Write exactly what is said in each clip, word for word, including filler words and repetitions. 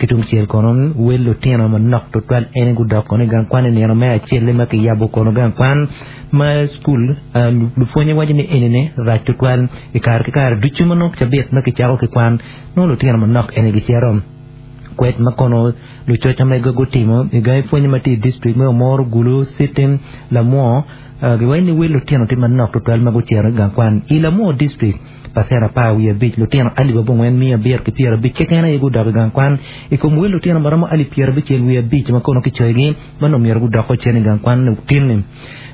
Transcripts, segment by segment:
Ki tungcel kono wel lutino manok tutwal en gudok kono i gang kwan i nino me acel ma kiyabo kono gang kwan ma skul lupwonye waco ni enini rac tutwal i kare ki kare ducu ma nongo cabit ma kicako ki kwan nongo lutino manok eni gicito kwed ma kono lucoc ma gutimo i gangi pwonye ma tye i district me Omoro, Gulu, City, Lamwo giwaco ni wel lutino tye manok tutwal ma gucito i gang kwan i Lamwo district pacent apar wiye abic lutino alip abongwen miya abiro ki pyerabic keken aye gudok i gang kwan i kom wel lutino ma romo alip pyerabicel wiye abic ma kono kicoyogi ma nongo myero gudok cen i gang kwan tinni.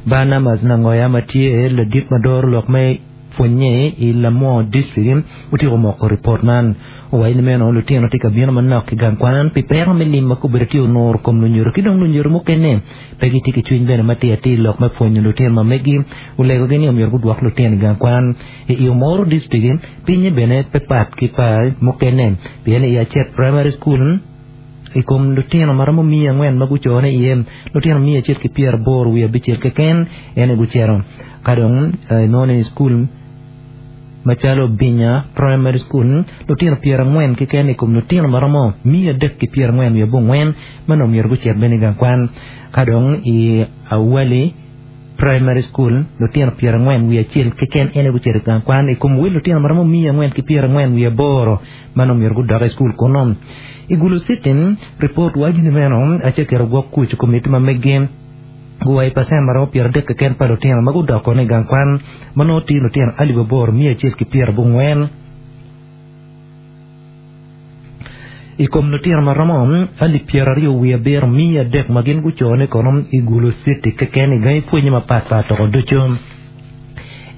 Barnabas Nangoya ma tye ladit ma doro lok me pwonye i Lamwo district otyeko moko ripot man owaco ni meno lutino tye ka bino manok ki gang kwan pi peko me lim ma kobedo tye onuro kom lunyodo ki dong lunyodo mukene pe gitye ki cwiny bene matir atir lok me pwonyo lutino ma megi olegogi ni omyero gudwok lutino i gang kwan i Omoro district pinye bene pe pat ki pa mukene pien i Acet Primary School i kom lutino ma romo miya angwen ma gucone iye lutino miya acel ki pyeraboro wiye abicel keken en gucito ka dong inongo ni skul macalo Binya Primary School lutino pyerangwen keken i kom lutino ma romo miya adek ki pyerangwen wiye abongwen ma nongo myero gucit bene i gang kwan ka dong i Awali Primary School lutino pyerangwen wiye acel keken en gucito i gang kwan i kom wel lutino ma romo miya angwen ki pyerangwen wiye aboro ma nongo myero gudok i skul kuno. I Gulu City ripot waco ni meno acel gwok kuc komiti ma megi guwai pacent ma romo pyeradek keken pa lutino ma gudok kono i gang kwan ma nongo tye lutino alip aboro miya acel ki pyerabongwen i kom lutino ma romo alip pyeraryo wiye abiro miya adek ma gin gucone kono i Gulu City keken i gangi pwonye mapatpat toko ducu.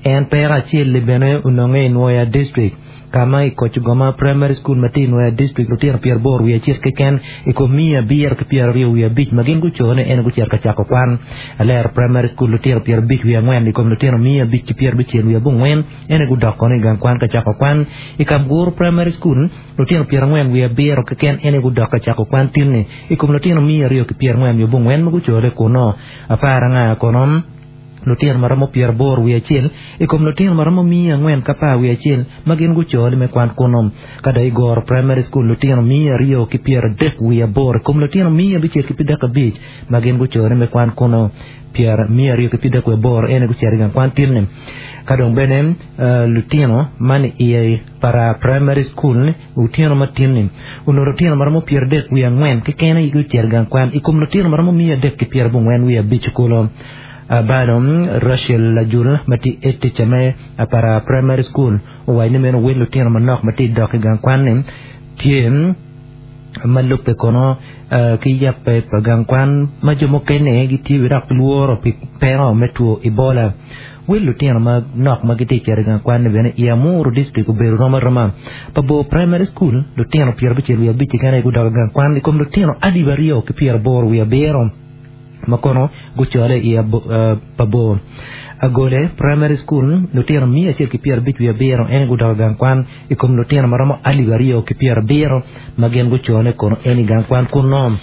En peko acel bene ononge i Nwoya district kama i Kocigoma Primary School ma tye i Nwoya district lutino pyeraboro wiye acel keken i kom miya abiro ki pyeraryo wiye abic ma gin gucone en gucito ka cako kwan. Alero Primary School lutino pyerabic wiye angwen i kom lutino miya abic ki pyerabicel wiye abongwen en gudok kono i gang kwan ka cako kwan. I Kamguru Primary School lutino pyerangwen wiye abiro keken en gudok ka cako kwan tinni i kom lutino miya aryo ki pyerangwen wiye abongwen ma gucone kuno. Apar anga kono lutino ma romo pyeraboro wiye acel i kom lutino ma romo miya angwen ki apar wiye acel ma gin gucole me kwan kuno. Ka dong i Goro Primary School lutino miya aryo ki pyeradek wiye aboro i kom lutino miya abicel ki pyerdek abic ma gin gucole me kwan kuno pyer miya aryo ki pyerdek wiye aboro en gucito i gang kwan tinni. Ka dong bene lutino man i Para Primary School lutino ma tinni onongo lutino ma romo pyeradek wiye angwen keken gucito i gang kwan i kom lutino ma romo miya adek ki pyerabongwen wiye abic kulo. Bado Rachel Lajul ma tye head teacher me Para Primary School owaco ni meno wel lutino manok ma tye dok i gang kwan-ni tye ma lubbe kono ki yabbe pa gang kwan ma jo mukene gitye dok lworo pi peko me two Ebola. Wel lutino manok ma gitye cito i gang kwan-ni bene i Amuru district obedo rom aroma. Pa Bor Primary School lutino pyerabicel wiye abic keken aye gudok i gang kwan i kom lutino alip aryo ki pyeraboro wiye abiro ma kono gucole i pa Bor. Agole Primary School lutino miya acel ki pyerabic wiye abiro en gudok i gang kwan i kom lutino ma romo alip aryo ki pyerabiro ma gin gucone kono en i gang kwan kuno.